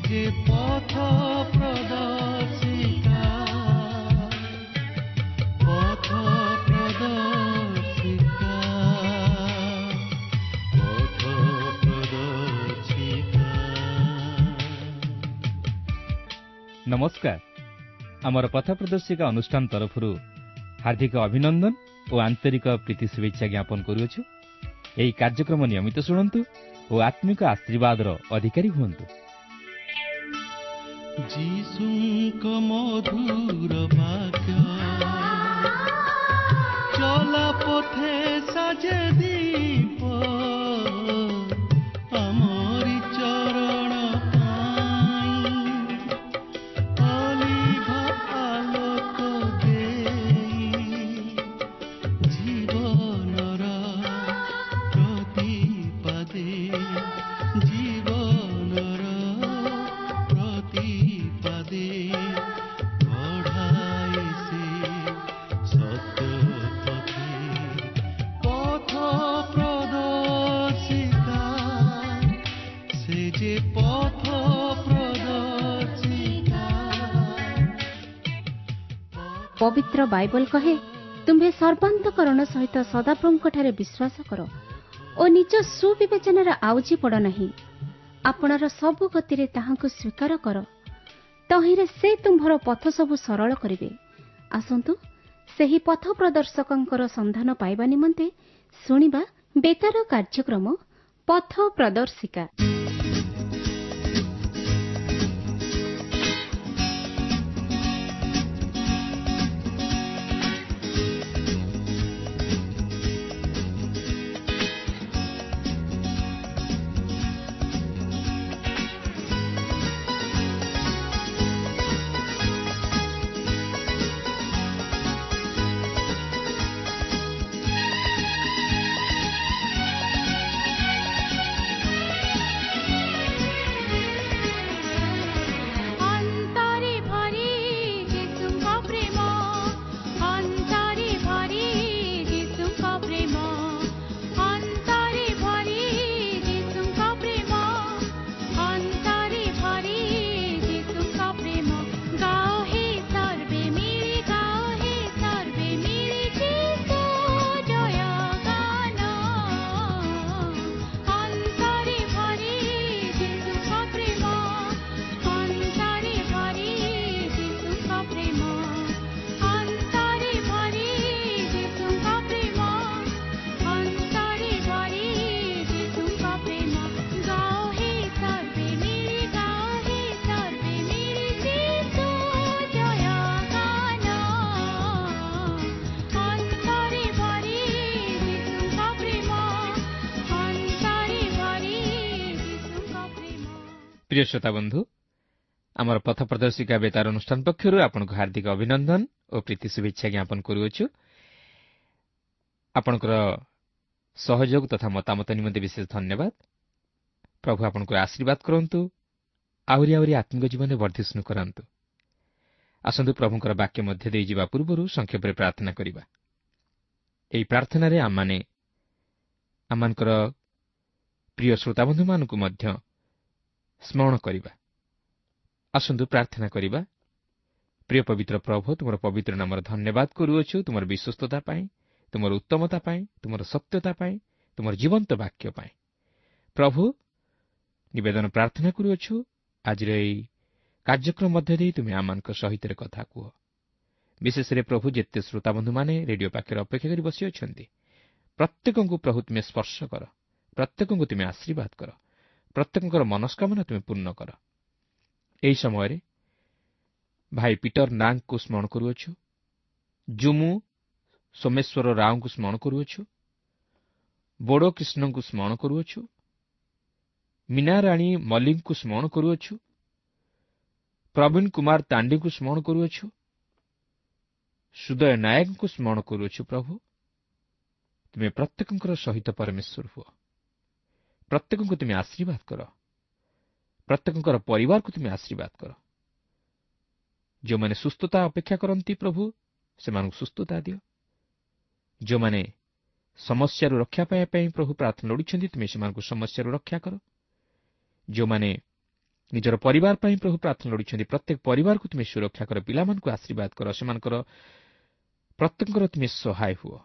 ଯେ ପଥ ପ୍ରଦର୍ଶିକା, ପଥ ପ୍ରଦର୍ଶିକା, ପଥ ପ୍ରଦର୍ଶିକା। ନମସ୍କାର। ଆମର ପଥ ପ୍ରଦର୍ଶିକା ଅନୁଷ୍ଠାନ ତରଫରୁ ହାର୍ଦ୍ଦିକ ଅଭିନନ୍ଦନ ଓ ଆନ୍ତରିକ ପ୍ରୀତି ଶୁଭେଚ୍ଛା ଜ୍ଞାପନ କରୁଅଛୁ। ଏହି କାର୍ଯ୍ୟକ୍ରମ ନିୟମିତ ଶୁଣନ୍ତୁ ଓ ଆତ୍ମିକ ଆଶୀର୍ବାଦର ଅଧିକାରୀ ହୁଅନ୍ତୁ। ଯୀଶୁଙ୍କ ମଧୁର ବାକ୍ୟ ଚଲା ପଥେ ସାଜେ ଦୀପ, ଆମରି ଚରଣ ପାଇଁ ଅଲିଭ ଆଲୋକ ଦେଇ, ଜୀବନର ପ୍ରତିପାଦେ, ଜୀବନର ପ୍ରତିପାଦେ କଢ଼ାଏ ସେ ସତ୍ୟ ପଥେ। ପଥ ପ୍ରଦର୍ଶିକା, ସେ ଯେ ପଥ ପ୍ରଦର୍ଶିକା। ପବିତ୍ର ବାଇବଲ କହେ, ତୁମ୍ଭେ ସର୍ବାନ୍ତକରଣ ସହିତ ସଦାପ୍ରଭୁଙ୍କଠାରେ ବିଶ୍ୱାସ କର ଓ ନିଜ ସୁବିବେଚନାରେ ଆଉଜି ପଡ଼ ନାହିଁ। ଆପଣାର ସବୁ ଗତିରେ ତାହାଙ୍କୁ ସ୍ୱୀକାର କର, ତହିଁରେ ସେ ତୁମ୍ଭର ପଥ ସବୁ ସରଳ କରିବେ। ଆସନ୍ତୁ ସେହି ପଥ ପ୍ରଦର୍ଶକଙ୍କର ସନ୍ଧାନ ପାଇବା ନିମନ୍ତେ ଶୁଣିବା ବେତାର କାର୍ଯ୍ୟକ୍ରମ ପଥ ପ୍ରଦର୍ଶିକା। ଅନ୍ତରେ ଭରି ଯୀଶୁଙ୍କ ପ୍ରେମ, ଅନ୍ତରେ ଭରି ଯୀଶୁଙ୍କ ପ୍ରେମ, ଅନ୍ତରେ ଭରି ଯୀଶୁଙ୍କ ପ୍ରେମ, ଅନ୍ତରେ ଭରି ଯୀଶୁଙ୍କ ପ୍ରେମ। ଗାଅ ହେ ସର୍ବେ ମିଳି, ଗାଅ ହେ ସର୍ବେ ମିଳି ଯୀଶୁ ଜୟ ଗାନ। ଅନ୍ତରେ ଭରି ଯୀଶୁଙ୍କ ପ୍ରେମ, ଅନ୍ତରେ ଭରି ଯୀଶୁଙ୍କ ପ୍ରେମ, ଅନ୍ତରେ ଭରି ଯୀଶୁଙ୍କ ପ୍ରେମ, ଅନ୍ତରେ ଭରି ଯୀଶୁଙ୍କ ପ୍ରେମ। ଗାଅ ହେ ସର୍ବେ ମିଳି, ଗାଅ ହେ ସର୍ବେ ମିଳି ଯୀଶୁ ଜୟ ଗାନ। ଅନ୍ତରେ ଭରି ଯୀଶୁଙ୍କ ପ୍ରେମ, ଅନ୍ତରେ ଭରି ଯୀଶୁଙ୍କ ପ୍ରେମ। ପ୍ରିୟ ଶ୍ରୋତା ବନ୍ଧୁ, ଆମର ପଥ ପ୍ରଦର୍ଶିକା ବେତାର ଅନୁଷ୍ଠାନ ପକ୍ଷରୁ ଆପଣଙ୍କୁ ହାର୍ଦ୍ଦିକ ଅଭିନନ୍ଦନ ଓ ପ୍ରୀତି ଶୁଭେଚ୍ଛା ଜ୍ଞାପନ କରୁଅଛୁ। ଆପଣଙ୍କର ସହଯୋଗ ତଥା ମତାମତ ନିମନ୍ତେ ବିଶେଷ ଧନ୍ୟବାଦ। ପ୍ରଭୁ ଆପଣଙ୍କୁ ଆଶୀର୍ବାଦ କରନ୍ତୁ, ଆହୁରି ଆହୁରି ଆତ୍ମିକ ଜୀବନରେ ବର୍ଦ୍ଧିଷ୍ଣୁ କରାନ୍ତୁ। ଆସନ୍ତୁ ପ୍ରଭୁଙ୍କର ବାକ୍ୟ ମଧ୍ୟ ଦେଇଯିବା ପୂର୍ବରୁ ସଂକ୍ଷେପରେ ପ୍ରାର୍ଥନା କରିବା। ଏହି ପ୍ରାର୍ଥନାରେ ଆମମାନେ ଆମମାନଙ୍କର ପ୍ରିୟ ଶ୍ରୋତାବନ୍ଧୁମାନଙ୍କୁ ମଧ୍ୟ ସ୍ମରଣ କରିବା। ଆସନ୍ତୁ ପ୍ରାର୍ଥନା କରିବା। ପ୍ରିୟ ପବିତ୍ର ପ୍ରଭୁ, ତୁମର ପବିତ୍ର ନାମର ଧନ୍ୟବାଦ କରୁଅଛୁ ତୁମର ବିଶ୍ୱସ୍ତତା ପାଇଁ, ତୁମର ଉତ୍ତମତା ପାଇଁ, ତୁମର ସତ୍ୟତା ପାଇଁ, ତୁମର ଜୀବନ୍ତ ବାକ୍ୟ ପାଇଁ। ପ୍ରଭୁ, ନିବେଦନ ପ୍ରାର୍ଥନା କରୁଅଛୁ, ଆଜିର ଏହି କାର୍ଯ୍ୟକ୍ରମ ମଧ୍ୟ ଦେଇ ତୁମେ ଆମମାନଙ୍କ ସହିତ କଥା କୁହ। ବିଶେଷରେ ପ୍ରଭୁ, ଯେତେ ଶ୍ରୋତାବନ୍ଧୁମାନେ ରେଡିଓ ପାଖରେ ଅପେକ୍ଷା କରି ବସିଅଛନ୍ତି, ପ୍ରତ୍ୟେକଙ୍କୁ ପ୍ରଭୁ ତୁମେ ସ୍ପର୍ଶ କର, ପ୍ରତ୍ୟେକଙ୍କୁ ତୁମେ ଆଶୀର୍ବାଦ କର, ପ୍ରତ୍ୟେକଙ୍କର ମନସ୍କାମନା ତୁମେ ପୂର୍ଣ୍ଣ କର। ଏହି ସମୟରେ ଭାଇ ପିଟର ନାଗଙ୍କୁ ସ୍ମରଣ କରୁଅଛୁ, ଜୁମୁ ସୋମେଶ୍ୱର ରାଓଙ୍କୁ ସ୍ମରଣ କରୁଅଛୁ, ବୋଡୋ କୃଷ୍ଣଙ୍କୁ ସ୍ମରଣ କରୁଅଛୁ, ମୀନାରାଣୀ ମଲ୍ଲିକଙ୍କୁ ସ୍ମରଣ କରୁଅଛୁ, ପ୍ରବୀଣ କୁମାର ତାଣ୍ଡିଙ୍କୁ ସ୍ମରଣ କରୁଅଛୁ, ସୁଦୟ ନାୟକଙ୍କୁ ସ୍ମରଣ କରୁଅଛୁ। ପ୍ରଭୁ, ତୁମେ ପ୍ରତ୍ୟେକଙ୍କର ସହିତ ପରମେଶ୍ୱର ହୁଅ, ପ୍ରତ୍ୟେକଙ୍କୁ ତୁମେ ଆଶୀର୍ବାଦ କର, ପ୍ରତ୍ୟେକଙ୍କର ପରିବାରକୁ ତୁମେ ଆଶୀର୍ବାଦ କର। ଯେଉଁମାନେ ସୁସ୍ଥତା ଅପେକ୍ଷା କରନ୍ତି ପ୍ରଭୁ, ସେମାନଙ୍କୁ ସୁସ୍ଥତା ଦିଅ। ଯେଉଁମାନେ ସମସ୍ୟାରୁ ରକ୍ଷା ପାଇବା ପାଇଁ ପ୍ରଭୁ ପ୍ରାର୍ଥନା ଲୋଡ଼ିଛନ୍ତି, ତୁମେ ସେମାନଙ୍କୁ ସମସ୍ୟାରୁ ରକ୍ଷା କର। ଯେଉଁମାନେ ନିଜର ପରିବାର ପାଇଁ ପ୍ରଭୁ ପ୍ରାର୍ଥନା ଲୋଡ଼ିଛନ୍ତି। ପ୍ରତ୍ୟେକ ପରିବାରକୁ ତୁମେ ସୁରକ୍ଷା କର, ପିଲାମାନଙ୍କୁ ଆଶୀର୍ବାଦ କର, ସେମାନଙ୍କର ପ୍ରତ୍ୟେକଙ୍କର ତୁମେ ସହାୟ ହୁଅ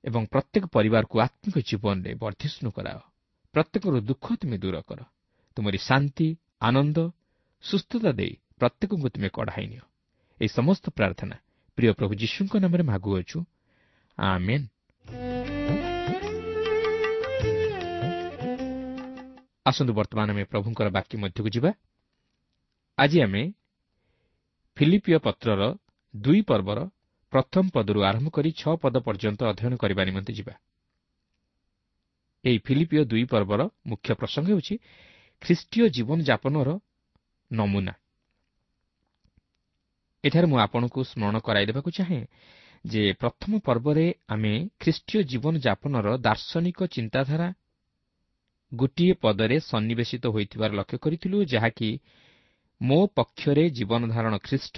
ଏବଂ ପ୍ରତ୍ୟେକ ପରିବାରକୁ ଆତ୍ମିକ ଜୀବନରେ ବର୍ଦ୍ଧିଷ୍ଣୁ କରାଅ। ପ୍ରତ୍ୟେକର ଦୁଃଖ ତୁମେ ଦୂର କର। ତୁମରି ଶାନ୍ତି, ଆନନ୍ଦ, ସୁସ୍ଥତା ଦେଇ ପ୍ରତ୍ୟେକଙ୍କୁ ତୁମେ କଢ଼ାଇ ନିଅ। ଏହି ସମସ୍ତ ପ୍ରାର୍ଥନା ପ୍ରିୟ ପ୍ରଭୁ ଯୀଶୁଙ୍କ ନାମରେ ମାଗୁଅଛୁ, ଆମେନ୍। ଆସନ୍ତୁ ବର୍ତ୍ତମାନ ଆମେ ପ୍ରଭୁଙ୍କର ବାକ୍ୟ ମଧ୍ୟକୁ ଯିବା। ଆଜି ଆମେ ଫିଲିପିଓ ପତ୍ରର 2 ପର୍ବର ପ୍ରଥମ ପଦରୁ ଆରମ୍ଭ କରି 6 ପଦ ପର୍ଯ୍ୟନ୍ତ ଅଧ୍ୟୟନ କରିବା ନିମନ୍ତେ ଯିବା। ଏହି ଫିଲିପିଓ 2 ପର୍ବର ମୁଖ୍ୟ ପ୍ରସଙ୍ଗ ହେଉଛି ଖ୍ରୀଷ୍ଟୀୟ ଜୀବନଯାପନର ନମୁନା। ଏଠାରେ ମୁଁ ଆପଣଙ୍କୁ ସ୍ମରଣ କରାଇଦେବାକୁ ଚାହେଁ ଯେ ପ୍ରଥମ ପର୍ବରେ ଆମେ ଖ୍ରୀଷ୍ଟୀୟ ଜୀବନଯାପନର ଦାର୍ଶନିକ ଚିନ୍ତାଧାରା ଗୋଟିଏ ପଦରେ ସନ୍ନିବେଶିତ ହୋଇଥିବାର ଲକ୍ଷ୍ୟ କରିଥିଲୁ, ଯାହାକି ମୋ ପକ୍ଷରେ ଜୀବନଧାରଣ ଖ୍ରୀଷ୍ଟ,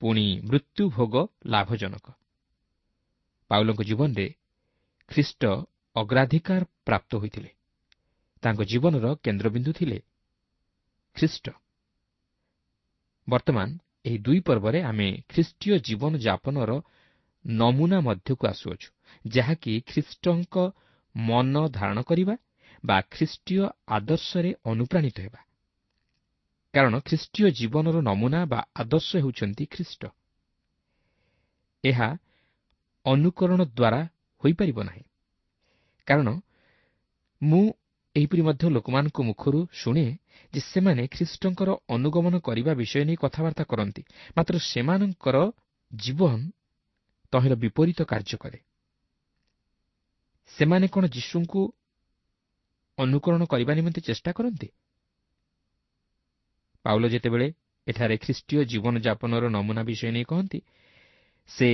ପୁଣି ମୃତ୍ୟୁଭୋଗ ଲାଭଜନକ। ପାଉଲଙ୍କ ଜୀବନରେ ଖ୍ରୀଷ୍ଟ ଅଗ୍ରାଧିକାର ପ୍ରାପ୍ତ ହୋଇଥିଲେ। ତାଙ୍କ ଜୀବନର କେନ୍ଦ୍ରବିନ୍ଦୁ ଥିଲେ ଖ୍ରୀଷ୍ଟ। ବର୍ତ୍ତମାନ ଏହି 2 ପର୍ବରେ ଆମେ ଖ୍ରୀଷ୍ଟୀୟ ଜୀବନଯାପନର ନମୁନା ମଧ୍ୟକୁ ଆସୁଅଛୁ, ଯାହାକି ଖ୍ରୀଷ୍ଟଙ୍କ ମନ ଧାରଣ କରିବା ବା ଖ୍ରୀଷ୍ଟୀୟ ଆଦର୍ଶରେ ଅନୁପ୍ରାଣିତ ହେବା। କାରଣ ଖ୍ରୀଷ୍ଟୀୟ ଜୀବନର ନମୁନା ବା ଆଦର୍ଶ ହେଉଛନ୍ତି ଖ୍ରୀଷ୍ଟ। ଏହା ଅନୁକରଣ ଦ୍ୱାରା ହୋଇପାରିବ ନାହିଁ। କାରଣ ମୁଁ ଏହିପରି ମଧ୍ୟ ଲୋକମାନଙ୍କ ମୁଖରୁ ଶୁଣେ ଯେ ସେମାନେ ଖ୍ରୀଷ୍ଟଙ୍କର ଅନୁଗମନ କରିବା ବିଷୟ ନେଇ କଥାବାର୍ତ୍ତା କରନ୍ତି, ମାତ୍ର ସେମାନଙ୍କର ଜୀବନ ତହିଁର ବିପରୀତ କାର୍ଯ୍ୟ କରେ। ସେମାନେ କ'ଣ ଯୀଶୁଙ୍କୁ ଅନୁକରଣ କରିବା ନିମନ୍ତେ ଚେଷ୍ଟା କରନ୍ତି? ପାଉଲ ଯେତେବେଳେ ଏଠାରେ ଖ୍ରୀଷ୍ଟୀୟ ଜୀବନଯାପନର ନମୁନା ବିଷୟ ନେଇ କହନ୍ତି, ସେ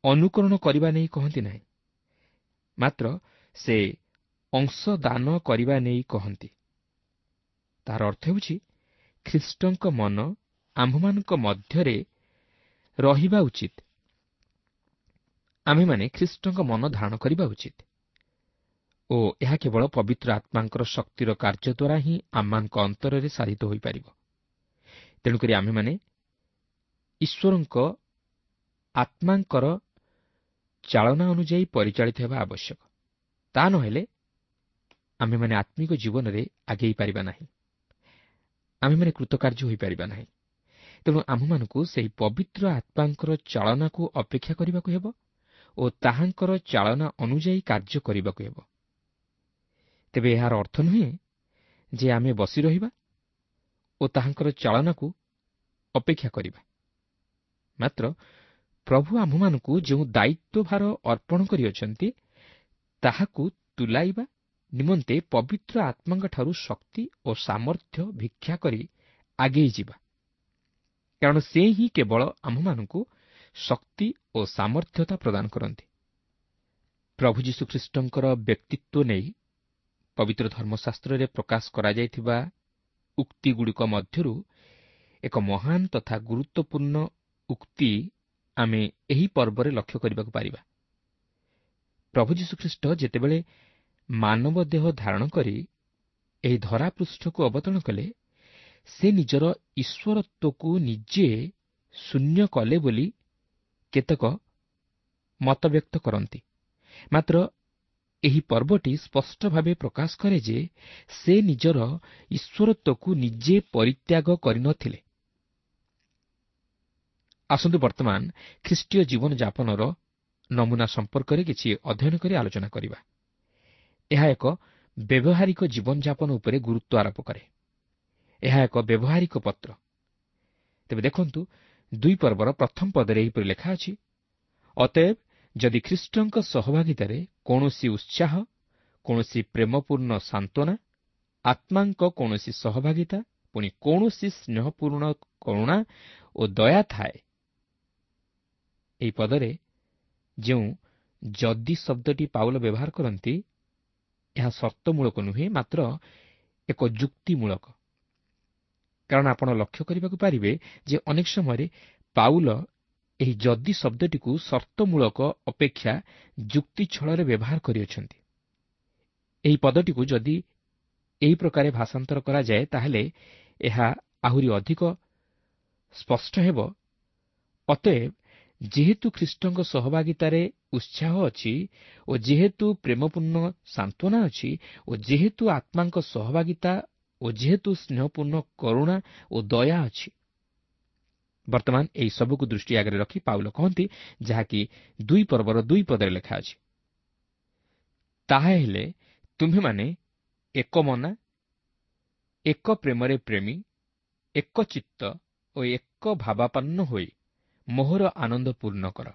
ଅନୁକରଣ କରିବା ନେଇ କହନ୍ତି ନାହିଁ, ମାତ୍ର ସେ ଅଂଶଦାନ କରିବା ନେଇ କହନ୍ତି। ତାହାର ଅର୍ଥ ହେଉଛି ଖ୍ରୀଷ୍ଟଙ୍କ ମନ ଆମ୍ଭମାନଙ୍କ ମଧ୍ୟରେ ରହିବା ଉଚିତ। ଆମ୍ଭେମାନେ ଖ୍ରୀଷ୍ଟଙ୍କ ମନ ଧାରଣ କରିବା ଉଚିତ ଓ ଏହା କେବଳ ପବିତ୍ର ଆତ୍ମାଙ୍କର ଶକ୍ତିର କାର୍ଯ୍ୟ ଦ୍ୱାରା ହିଁ ଆମମାନଙ୍କ ଅନ୍ତରରେ ସାଧିତ ହୋଇପାରିବ। ତେଣୁକରି ଆମ୍ଭେମାନେ ଈଶ୍ୱରଙ୍କ ଆତ୍ମାଙ୍କର ଚାଳନା ଅନୁଯାୟୀ ପରିଚାଳିତ ହେବା ଆବଶ୍ୟକ। ତା ନହେଲେ ଆମ୍ଭେମାନେ ଆତ୍ମିକ ଜୀବନରେ ଆଗେଇ ପାରିବା ନାହିଁ, ଆମ୍ଭେମାନେ କୃତକାର୍ଯ୍ୟ ହୋଇପାରିବା ନାହିଁ। ତେଣୁ ଆମ୍ଭମାନଙ୍କୁ ସେହି ପବିତ୍ର ଆତ୍ମାଙ୍କର ଚାଳନାକୁ ଅପେକ୍ଷା କରିବାକୁ ହେବ ଓ ତାହାଙ୍କର ଚାଳନା ଅନୁଯାୟୀ କାର୍ଯ୍ୟ କରିବାକୁ ହେବ। ତେବେ ଏହାର ଅର୍ଥ ନୁହେଁ ଯେ ଆମେ ବସି ରହିବା ଓ ତାହାଙ୍କର ଚାଳନାକୁ ଅପେକ୍ଷା କରିବା, ମାତ୍ର ପ୍ରଭୁ ଆମ୍ଭମାନଙ୍କୁ ଯେଉଁ ଦାୟିତ୍ୱଭାର ଅର୍ପଣ କରିଅଛନ୍ତି ତାହାକୁ ତୁଲାଇବା ନିମନ୍ତେ ପବିତ୍ର ଆତ୍ମାଙ୍କଠାରୁ ଶକ୍ତି ଓ ସାମର୍ଥ୍ୟ ଭିକ୍ଷା କରି ଆଗେଇ ଯିବା। କାରଣ ସେ ହିଁ କେବଳ ଆମ୍ଭମାନଙ୍କୁ ଶକ୍ତି ଓ ସାମର୍ଥ୍ୟତା ପ୍ରଦାନ କରନ୍ତି। ପ୍ରଭୁ ଯୀଶୁଖ୍ରୀଷ୍ଟଙ୍କର ବ୍ୟକ୍ତିତ୍ୱ ନେଇ ପବିତ୍ର ଧର୍ମଶାସ୍ତ୍ରରେ ପ୍ରକାଶ କରାଯାଇଥିବା ଉକ୍ତିଗୁଡ଼ିକ ମଧ୍ୟରୁ ଏକ ମହାନ ତଥା ଗୁରୁତ୍ୱପୂର୍ଣ୍ଣ ଉକ୍ତି ଆମେ ଏହି ପର୍ବରେ ଲକ୍ଷ୍ୟ କରିବାକୁ ପାରିବା। ପ୍ରଭୁ ଯୀଶୁଖ୍ରୀଷ୍ଟ ଯେତେବେଳେ ମାନବ ଦେହ ଧାରଣ କରି ଏହି ଧରାପୃଷ୍ଠକୁ ଅବତରଣ କଲେ, ସେ ନିଜର ଈଶ୍ୱରତ୍ୱକୁ ନିଜେ ଶୂନ୍ୟ କଲେ ବୋଲି କେତେକ ମତବ୍ୟକ୍ତ କରନ୍ତି। ମାତ୍ର ଏହି ପର୍ବଟି ସ୍ପଷ୍ଟ ଭାବେ ପ୍ରକାଶ କରେ ଯେ ସେ ନିଜର ଈଶ୍ୱରତ୍ୱକୁ ନିଜେ ପରିତ୍ୟାଗ କରିନଥିଲେ। ଆସନ୍ତୁ ବର୍ତ୍ତମାନ ଖ୍ରୀଷ୍ଟୀୟ ଜୀବନଯାପନର ନମୁନା ସମ୍ପର୍କରେ କିଛି ଅଧ୍ୟୟନ କରି ଆଲୋଚନା କରିବା। ଏହା ଏକ ବ୍ୟବହାରିକ ଜୀବନଯାପନ ଉପରେ ଗୁରୁତ୍ୱ ଆରୋପ କରେ। ଏହା ଏକ ବ୍ୟବହାରିକ ପତ୍ର। ତେବେ ଦେଖନ୍ତୁ, 2 ପର୍ବର ପ୍ରଥମ ପଦରେ ଏହିପରି ଲେଖା ଅଛି, ଅତଏବ ଯଦି ଖ୍ରୀଷ୍ଟଙ୍କ ସହଭାଗିତାରେ କୌଣସି ଉତ୍ସାହ, କୌଣସି ପ୍ରେମପୂର୍ଣ୍ଣ ସାନ୍ତ୍ୱନା, ଆତ୍ମାଙ୍କ କୌଣସି ସହଭାଗିତା, ପୁଣି କୌଣସି ସ୍ନେହପୂର୍ଣ୍ଣ କରୁଣା ଓ ଦୟା ଥାଏ। ଏହି ପଦରେ ଯେଉଁ ଯଦି ଶବ୍ଦଟି ପାଉଲ ବ୍ୟବହାର କରନ୍ତି, ଏହା ସର୍ତ୍ତମୂଳକ ନୁହେଁ, ମାତ୍ର ଏକ ଯୁକ୍ତିମୂଳକ। କାରଣ ଆପଣ ଲକ୍ଷ୍ୟ କରିବାକୁ ପାରିବେ ଯେ ଅନେକ ସମୟରେ ପାଉଲ ଏହି ଯଦି ଶବ୍ଦଟିକୁ ସର୍ତ୍ତମୂଳକ ଅପେକ୍ଷା ଯୁକ୍ତି ଛଳରେ ବ୍ୟବହାର କରିଅଛନ୍ତି। ଏହି ପଦଟିକୁ ଯଦି ଏହି ପ୍ରକାରେ ଭାଷାନ୍ତର କରାଯାଏ, ତାହେଲେ ଏହା ଆହୁରି ଅଧିକ ସ୍ପଷ୍ଟ ହେବ। ଅତଏବ ଯେହେତୁ ଖ୍ରୀଷ୍ଟଙ୍କ ସହଭାଗିତାରେ ଉତ୍ସାହ ଅଛି ଓ ଯେହେତୁ ପ୍ରେମପୂର୍ଣ୍ଣ ସାନ୍ତ୍ୱନା ଅଛି ଓ ଯେହେତୁ ଆତ୍ମାଙ୍କ ସହଭାଗିତା ଓ ଯେହେତୁ ସ୍ନେହପୂର୍ଣ୍ଣ କରୁଣା ଓ ଦୟା ଅଛି। ବର୍ତ୍ତମାନ ଏହି ସବୁକୁ ଦୃଷ୍ଟି ଆଗରେ ରଖି ପାଉଲ କହନ୍ତି, ଯାହାକି 2 ପର୍ବର 2 ପଦରେ ଲେଖା ଅଛି, ତାହାହେଲେ ତୁମ୍ଭେମାନେ ଏକ ମନା, ଏକ ପ୍ରେମରେ ପ୍ରେମୀ, ଏକ ଚିତ୍ତ ଓ ଏକ ଭାବାପନ୍ନ ହୋଇ ମୋହର ଆନନ୍ଦ ପୂର୍ଣ୍ଣ କର।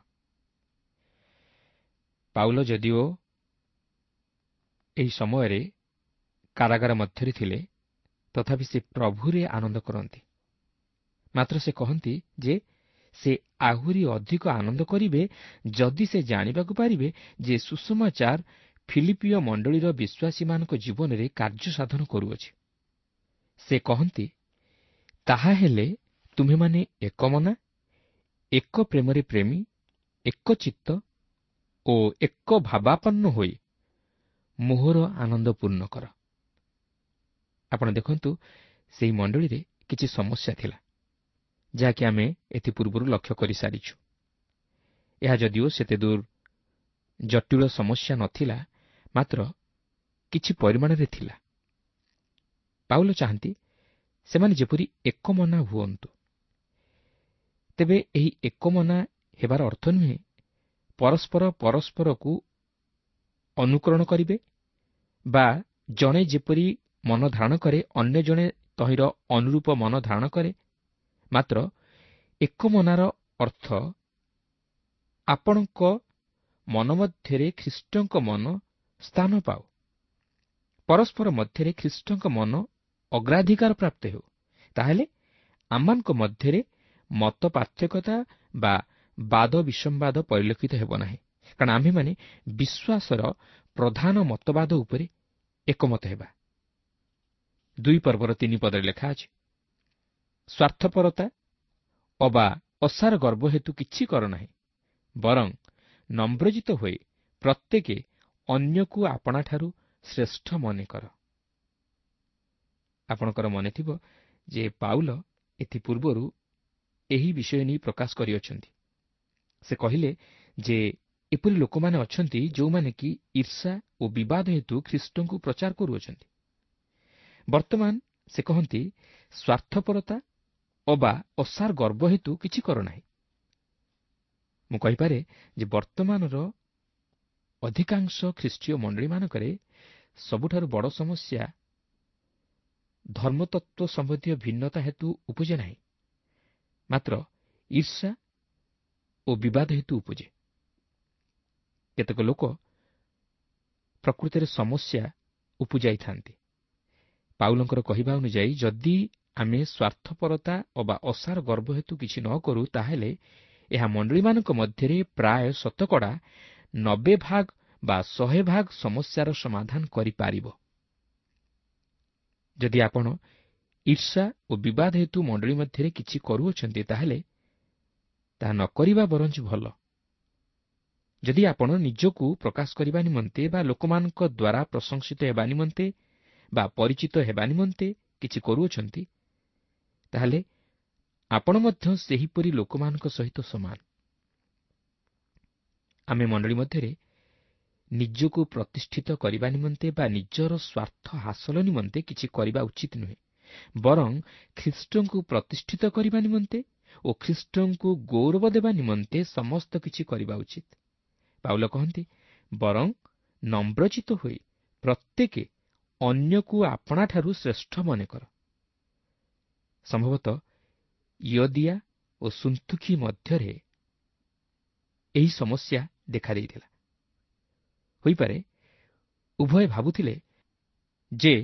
ପାଉଲ ଯଦିଓ ଏହି ସମୟରେ କାରାଗାର ମଧ୍ୟରେ ଥିଲେ, ତଥାପି ସେ ପ୍ରଭୁରେ ଆନନ୍ଦ କରନ୍ତି। ମାତ୍ର ସେ କହନ୍ତି ଯେ ସେ ଆହୁରି ଅଧିକ ଆନନ୍ଦ କରିବେ ଯଦି ସେ ଜାଣିବାକୁ ପାରିବେ ଯେ ସୁସମାଚାର ଫିଲିପୀୟ ମଣ୍ଡଳୀର ବିଶ୍ୱାସୀମାନଙ୍କ ଜୀବନରେ କାର୍ଯ୍ୟ ସାଧନ କରୁଅଛି। ସେ କହନ୍ତି, ତାହାହେଲେ ତୁମ୍ଭେମାନେ ଏକ ମନା, ଏକ ପ୍ରେମରେ ପ୍ରେମୀ, ଏକ ଚିତ୍ତ ଓ ଏକ ଭାବାପନ୍ନ ହୋଇ ମୋହର ଆନନ୍ଦ ପୂର୍ଣ୍ଣ କର। ଆପଣ ଦେଖନ୍ତୁ, ସେହି ମଣ୍ଡଳୀରେ କିଛି ସମସ୍ୟା ଥିଲା, ଯାହାକି ଆମେ ଏଥିପୂର୍ବରୁ ଲକ୍ଷ୍ୟ କରିସାରିଛୁ। ଏହା ଯଦିଓ ସେତେ ଦୂର ଜଟିଳ ସମସ୍ୟା ନଥିଲା, ମାତ୍ର କିଛି ପରିମାଣରେ ଥିଲା। ପାଉଲ ଚାହାନ୍ତି ସେମାନେ ଯେପରି ଏକମନା ହୁଅନ୍ତୁ। ତେବେ ଏହି ଏକମନା ହେବାର ଅର୍ଥ ନୁହେଁ ପରସ୍ପର ପରସ୍ପରକୁ ଅନୁକରଣ କରିବେ ବା ଜଣେ ଯେପରି ମନ ଧାରଣ କରେ ଅନ୍ୟ ଜଣେ ତହିଁର ଅନୁରୂପ ମନ ଧାରଣ କରେ। ମାତ୍ର ଏକମନାର ଅର୍ଥ ଆପଣଙ୍କ ମନ ମଧ୍ୟରେ ଖ୍ରୀଷ୍ଟଙ୍କ ମନ ସ୍ଥାନ ପାଉ, ପରସ୍ପର ମଧ୍ୟରେ ଖ୍ରୀଷ୍ଟଙ୍କ ମନ ଅଗ୍ରାଧିକାର ପ୍ରାପ୍ତ ହେଉ। ତାହେଲେ ଆମମାନଙ୍କ ମଧ୍ୟରେ ମତ ପାର୍ଥକ୍ୟତା ବା ବାଦ ବିସମ୍ବାଦ ପରିଲକ୍ଷିତ ହେବ ନାହିଁ, କାରଣ ଆମ୍ଭେମାନେ ବିଶ୍ୱାସର ପ୍ରଧାନ ମତବାଦ ଉପରେ ଏକମତ ହେବା। 2 ପର୍ବର 3 ପଦରେ ଲେଖା ଅଛି, ସ୍ୱାର୍ଥପରତା ଅବା ଅସାର ଗର୍ବ ହେତୁ କିଛି କର ନାହିଁ, ବରଂ ନମ୍ରଜିତ ହୋଇ ପ୍ରତ୍ୟେକେ ଅନ୍ୟକୁ ଆପଣାଠାରୁ ଶ୍ରେଷ୍ଠ ମନେ କର। ଆପଣଙ୍କର ମନେଥିବ ଯେ ପାଉଲ ଏଥିପୂର୍ବରୁ ଏହି ବିଷୟ ନେଇ ପ୍ରକାଶ କରିଅଛନ୍ତି। ସେ କହିଲେ ଯେ ଏପରି ଲୋକମାନେ ଅଛନ୍ତି ଯେଉଁମାନେ କି ଈର୍ଷା ଓ ବିବାଦ ହେତୁ ଖ୍ରୀଷ୍ଟଙ୍କୁ ପ୍ରଚାର କରୁଅଛନ୍ତି। ବର୍ତ୍ତମାନ ସେ କହନ୍ତି, ସ୍ୱାର୍ଥପରତା ଅବା ଅସାର ଗର୍ବ ହେତୁ କିଛି କର ନାହିଁ। ମୁଁ କହିପାରେ ଯେ ବର୍ତ୍ତମାନର ଅଧିକାଂଶ ଖ୍ରୀଷ୍ଟୀୟ ମଣ୍ଡଳୀମାନଙ୍କରେ ସବୁଠାରୁ ବଡ଼ ସମସ୍ୟା ଧର୍ମତତ୍ତ୍ୱ ସମ୍ବନ୍ଧୀୟ ଭିନ୍ନତା ହେତୁ ଉପୁଜେ ନାହିଁ, ମାତ୍ର ଈର୍ଷା ଓ ବିବାଦ ହେତୁ ଉପୁଜେ। କେତେକ ଲୋକ ପ୍ରକୃତରେ ସମସ୍ୟା ଉପୁଜାଇଥାନ୍ତି। ପାଉଲଙ୍କର କହିବା ଅନୁଯାୟୀ ଯଦି ଆମେ ସ୍ୱାର୍ଥପରତା ଅବା ଅସାର ଗର୍ବ ହେତୁ କିଛି ନ କରୁ, ତାହେଲେ ଏହା ମଣ୍ଡଳୀମାନଙ୍କ ମଧ୍ୟରେ ପ୍ରାୟ ଶତକଡ଼ା 90 ଭାଗ ବା 100 ଭାଗ ସମସ୍ୟାର ସମାଧାନ କରିପାରିବ। ଯଦି ଆପଣ ଈର୍ଷା ଓ ବିବାଦ ହେତୁ ମଣ୍ଡଳୀ ମଧ୍ୟରେ କିଛି କରୁଅଛନ୍ତି, ତାହେଲେ ତାହା ନ କରିବା ବରଞ୍ଚ ଭଲ। ଯଦି ଆପଣ ନିଜକୁ ପ୍ରକାଶ କରିବା ନିମନ୍ତେ ବା ଲୋକମାନଙ୍କ ଦ୍ୱାରା ପ୍ରଶଂସିତ ହେବା ନିମନ୍ତେ ବା ପରିଚିତ ହେବା ନିମନ୍ତେ କିଛି କରୁଅଛନ୍ତି, ତାହେଲେ ଆପଣ ମଧ୍ୟ ସେହିପରି ଲୋକମାନଙ୍କ ସହିତ ସମାନ। ଆମେ ମଣ୍ଡଳୀ ମଧ୍ୟରେ ନିଜକୁ ପ୍ରତିଷ୍ଠିତ କରିବା ନିମନ୍ତେ ବା ନିଜର ସ୍ୱାର୍ଥ ହାସଲ ନିମନ୍ତେ କିଛି କରିବା ଉଚିତ ନୁହେଁ, ବରଂ ଖ୍ରୀଷ୍ଟଙ୍କୁ ପ୍ରତିଷ୍ଠିତ କରିବା ନିମନ୍ତେ ଓ ଖ୍ରୀଷ୍ଟଙ୍କୁ ଗୌରବ ଦେବା ନିମନ୍ତେ ସମସ୍ତ କିଛି କରିବା ଉଚିତ। ପାଉଲ କହନ୍ତି, ବରଂ ନମ୍ରଚିତ ହୋଇ ପ୍ରତ୍ୟେକେ ଅନ୍ୟକୁ ଆପଣାଠାରୁ ଶ୍ରେଷ୍ଠ ମନେ କର। ସମ୍ଭବତଃ ୟଦିଆ ଓ ସୁନ୍ତୁଖୀ ମଧ୍ୟରେ ଏହି ସମସ୍ୟା ଦେଖାଦେଇଥିଲା। ହୋଇପାରେ ଉଭୟ ଭାବୁଥିଲେ ଯେ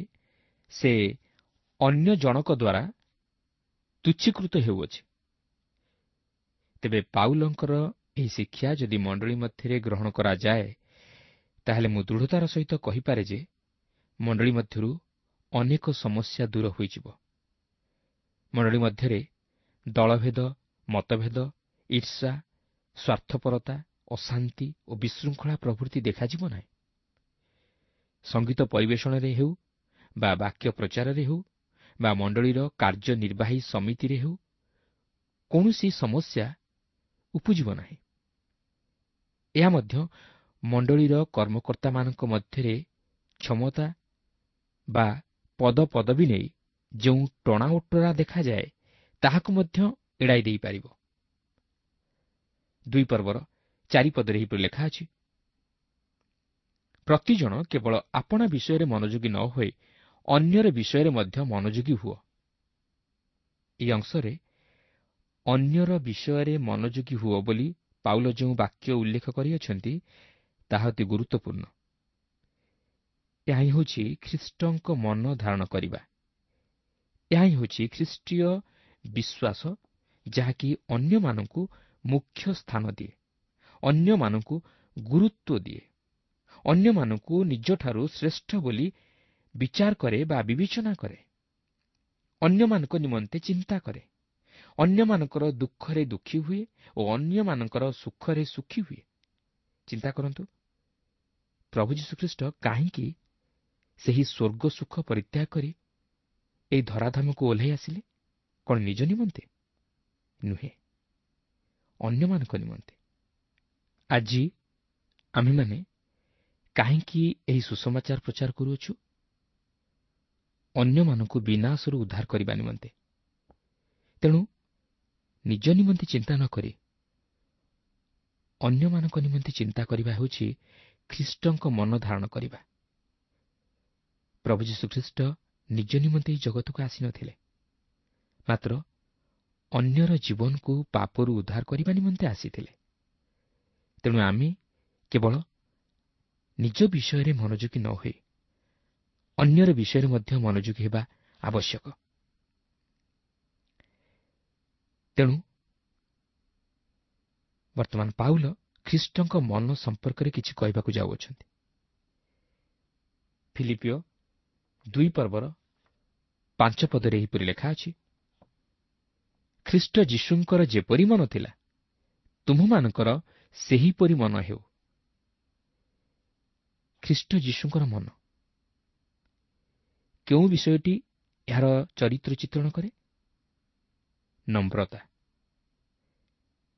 ସେ ଅନ୍ୟ ଜଣକ ଦ୍ୱାରା ତୁଚ୍ଛୀକୃତ ହେଉଅଛି। ତେବେ ପାଉଲଙ୍କର ଏହି ଶିକ୍ଷା ଯଦି ମଣ୍ଡଳୀ ମଧ୍ୟରେ ଗ୍ରହଣ କରାଯାଏ, ତାହେଲେ ମୁଁ ଦୃଢ଼ତାର ସହିତ କହିପାରେ ଯେ ମଣ୍ଡଳୀ ମଧ୍ୟରୁ ଅନେକ ସମସ୍ୟା ଦୂର ହୋଇଯିବ। ମଣ୍ଡଳୀ ମଧ୍ୟରେ ଦଳଭେଦ, ମତଭେଦ, ଈର୍ଷା, ସ୍ୱାର୍ଥପରତା, ଅଶାନ୍ତି ଓ ବିଶୃଙ୍ଖଳା ପ୍ରଭୃତି ଦେଖାଯିବ ନାହିଁ। ସଙ୍ଗୀତ ପରିବେଷଣରେ ହେଉ ବା ବାକ୍ୟ ପ୍ରଚାରରେ ହେଉ ବା ମଣ୍ଡଳୀର କାର୍ଯ୍ୟନିର୍ବାହୀ ସମିତିରେ ହେଉ, କୌଣସି ସମସ୍ୟା ଉପୁଜିବ ନାହିଁ। ଏହା ମଧ୍ୟ ମଣ୍ଡଳୀର କର୍ମକର୍ତ୍ତାମାନଙ୍କ ମଧ୍ୟରେ କ୍ଷମତା ବା ପଦପଦବୀ ନେଇ ଯେଉଁ ଟଣାଓଟରା ଦେଖାଯାଏ, ତାହାକୁ ମଧ୍ୟ ଏଡ଼ାଇ ଦେଇପାରିବ। 2 ପର୍ବର 4 ପଦରେ ଏହିପରି ଲେଖା ଅଛି, ପ୍ରତିଜଣ କେବଳ ଆପଣା ବିଷୟରେ ମନୋଯୋଗୀ ନ ହୋଇ ଅନ୍ୟର ବିଷୟରେ ମଧ୍ୟ ମନୋଯୋଗୀ ହୁଅ। ଏହି ଅଂଶରେ ଅନ୍ୟର ବିଷୟରେ ମନୋଯୋଗୀ ହୁଅ ବୋଲି ପାଉଲ ଯେଉଁ ବାକ୍ୟ ଉଲ୍ଲେଖ କରିଅଛନ୍ତି, ତାହା ଅତି ଗୁରୁତ୍ୱପୂର୍ଣ୍ଣ। ଏହା ହିଁ ହେଉଛି ଖ୍ରୀଷ୍ଟଙ୍କ ମନ ଧାରଣ କରିବା। ଏହା ହିଁ ହେଉଛି ଖ୍ରୀଷ୍ଟୀୟ ବିଶ୍ୱାସ, ଯାହାକି ଅନ୍ୟମାନଙ୍କୁ ମୁଖ୍ୟ ସ୍ଥାନ ଦିଏ, ଅନ୍ୟମାନଙ୍କୁ ଗୁରୁତ୍ୱ ଦିଏ, ଅନ୍ୟମାନଙ୍କୁ ନିଜଠାରୁ ଶ୍ରେଷ୍ଠ ବୋଲି ବିଚାର କରେ ବା ବିବେଚନା କରେ, ଅନ୍ୟମାନଙ୍କ ନିମନ୍ତେ ଚିନ୍ତା କରେ, ଅନ୍ୟମାନଙ୍କର ଦୁଃଖରେ ଦୁଃଖୀ ହୁଏ ଓ ଅନ୍ୟମାନଙ୍କର ସୁଖରେ ସୁଖୀ ହୁଏ। ଚିନ୍ତା କରନ୍ତୁ, ପ୍ରଭୁ ଯୀଶୁଖ୍ରୀଷ୍ଟ କାହିଁକି ସେହି ସ୍ୱର୍ଗ ସୁଖ ପରିତ୍ୟାଗ କରି ଏହି ଧରାଧାମକୁ ଓହ୍ଲାଇ ଆସିଲେ? କ'ଣ ନିଜ ନିମନ୍ତେ? ନୁହେଁ, ଅନ୍ୟମାନଙ୍କ ନିମନ୍ତେ। ଆଜି ଆମ୍ଭେମାନେ କାହିଁକି ଏହି ସୁସମାଚାର ପ୍ରଚାର କରୁଅଛୁ? ଅନ୍ୟମାନଙ୍କୁ ବିନାଶରୁ ଉଦ୍ଧାର କରିବା ନିମନ୍ତେ। ତେଣୁ ନିଜ ନିମନ୍ତେ ଚିନ୍ତା ନ କରି ଅନ୍ୟମାନଙ୍କ ନିମନ୍ତେ ଚିନ୍ତା କରିବା ହେଉଛି ଖ୍ରୀଷ୍ଟଙ୍କ ମନ ଧାରଣ କରିବା। ପ୍ରଭୁ ଯୀଶୁଖ୍ରୀଷ୍ଟ ନିଜ ନିମନ୍ତେ ଏହି ଜଗତକୁ ଆସିନଥିଲେ, ମାତ୍ର ଅନ୍ୟର ଜୀବନକୁ ପାପରୁ ଉଦ୍ଧାର କରିବା ନିମନ୍ତେ ଆସିଥିଲେ। ତେଣୁ ଆମେ କେବଳ ନିଜ ବିଷୟରେ ମନୋଯୋଗୀ ନ ହୋଇ ଅନ୍ୟର ବିଷୟରେ ମଧ୍ୟ ମନୋଯୋଗୀ ହେବା ଆବଶ୍ୟକ। ତେଣୁ ବର୍ତ୍ତମାନ ପାଉଲ ଖ୍ରୀଷ୍ଟଙ୍କ ମନ ସମ୍ପର୍କରେ କିଛି କହିବାକୁ ଯାଉଅଛନ୍ତି। ଫିଲିପିଓ 2 ପର୍ବର 5 ପଦରେ ଏହିପରି ଲେଖା ଅଛି, ଖ୍ରୀଷ୍ଟ ଯୀଶୁଙ୍କର ଯେପରି ମନ ଥିଲା, ତୁମ୍ଭମାନଙ୍କର ସେହିପରି ମନ ହେଉ। ଖ୍ରୀଷ୍ଟ ଯୀଶୁଙ୍କର ମନ କେଉଁ ବିଷୟଟି ଏହାର ଚରିତ୍ର ଚିତ୍ରଣ କରେ? ନମ୍ରତା।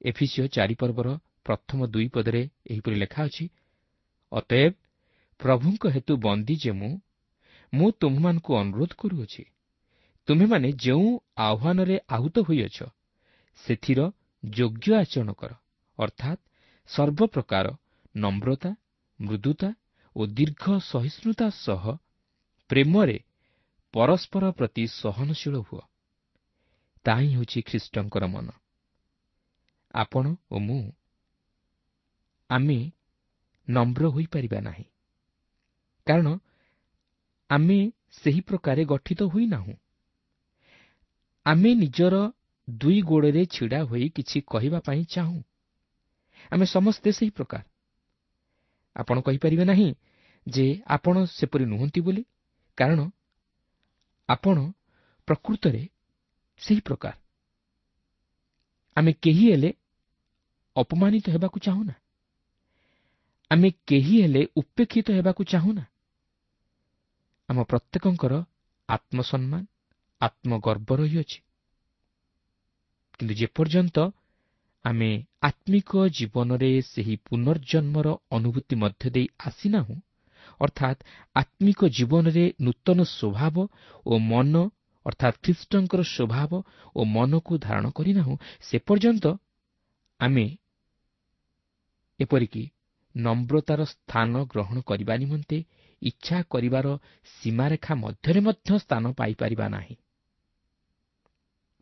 ଏଫିସିଓ 4 ପର୍ବର ପ୍ରଥମ 2 ପଦରେ ଏହିପରି ଲେଖା ଅଛି, ଅତଏବ ପ୍ରଭୁଙ୍କ ହେତୁ ବନ୍ଦୀ ଯେ ମୁଁ ତୁମ୍ଭମାନଙ୍କୁ ଅନୁରୋଧ କରୁଅଛି, ତୁମ୍ଭେମାନେ ଯେଉଁ ଆହ୍ୱାନରେ ଆହୁତ ହୋଇଅଛ ସେଥିର ଯୋଗ୍ୟ ଆଚରଣ କର, ଅର୍ଥାତ୍ ସର୍ବପ୍ରକାର ନମ୍ରତା, ମୃଦୁତା ଓ ଦୀର୍ଘ ସହିଷ୍ଣୁତା ସହ ପ୍ରେମରେ ପରସ୍ପର ପ୍ରତି ସହନଶୀଳ ହୁଅ। ତାହା ହିଁ ହେଉଛି ଖ୍ରୀଷ୍ଟଙ୍କର ମନ। ଆପଣ ଓ ମୁଁ ଆମେ ନମ୍ର ହୋଇପାରିବା ନାହିଁ, କାରଣ ଆମେ ସେହି ପ୍ରକାରେ ଗଠିତ ହୋଇନାହୁଁ। ଆମେ ନିଜର ଦୁଇ ଗୋଡ଼ରେ ଛିଡ଼ା ହୋଇ କିଛି କହିବା ପାଇଁ ଚାହୁଁ। ଆମେ ସମସ୍ତେ ସେହି ପ୍ରକାର। ଆପଣ କହିପାରିବେ ନାହିଁ ଯେ ଆପଣ ସେପରି ନୁହନ୍ତି ବୋଲି, କାରଣ ଆପଣ ପ୍ରକୃତରେ ସେହି ପ୍ରକାର। ଆମେ କେହି ହେଲେ ଅପମାନିତ ହେବାକୁ ଚାହୁଁନା, ଆମେ କେହି ହେଲେ ଉପେକ୍ଷିତ ହେବାକୁ ଚାହୁଁନା। ଆମ ପ୍ରତ୍ୟେକଙ୍କର ଆତ୍ମସମ୍ମାନ, ଆତ୍ମଗର୍ବ ରହିଅଛି। କିନ୍ତୁ ଯେପର୍ଯ୍ୟନ୍ତ ଆମେ ଆତ୍ମିକ ଜୀବନରେ ସେହି ପୁନର୍ଜନ୍ମର ଅନୁଭୂତି ମଧ୍ୟ ଦେଇ ଆସିନାହୁଁ, ଅର୍ଥାତ୍ ଆତ୍ମିକ ଜୀବନରେ ନୂତନ ସ୍ୱଭାବ ଓ ମନ, ଅର୍ଥାତ୍ ଖ୍ରୀଷ୍ଟଙ୍କର ସ୍ୱଭାବ ଓ ମନକୁ ଧାରଣ କରିନାହୁଁ, ସେ ପର୍ଯ୍ୟନ୍ତ ଆମେ ଏପରିକି ନମ୍ରତାର ସ୍ଥାନ ଗ୍ରହଣ କରିବା ନିମନ୍ତେ ଇଚ୍ଛା କରିବାର ସୀମାରେଖା ମଧ୍ୟରେ ମଧ୍ୟ ସ୍ଥାନ ପାଇପାରିବା ନାହିଁ।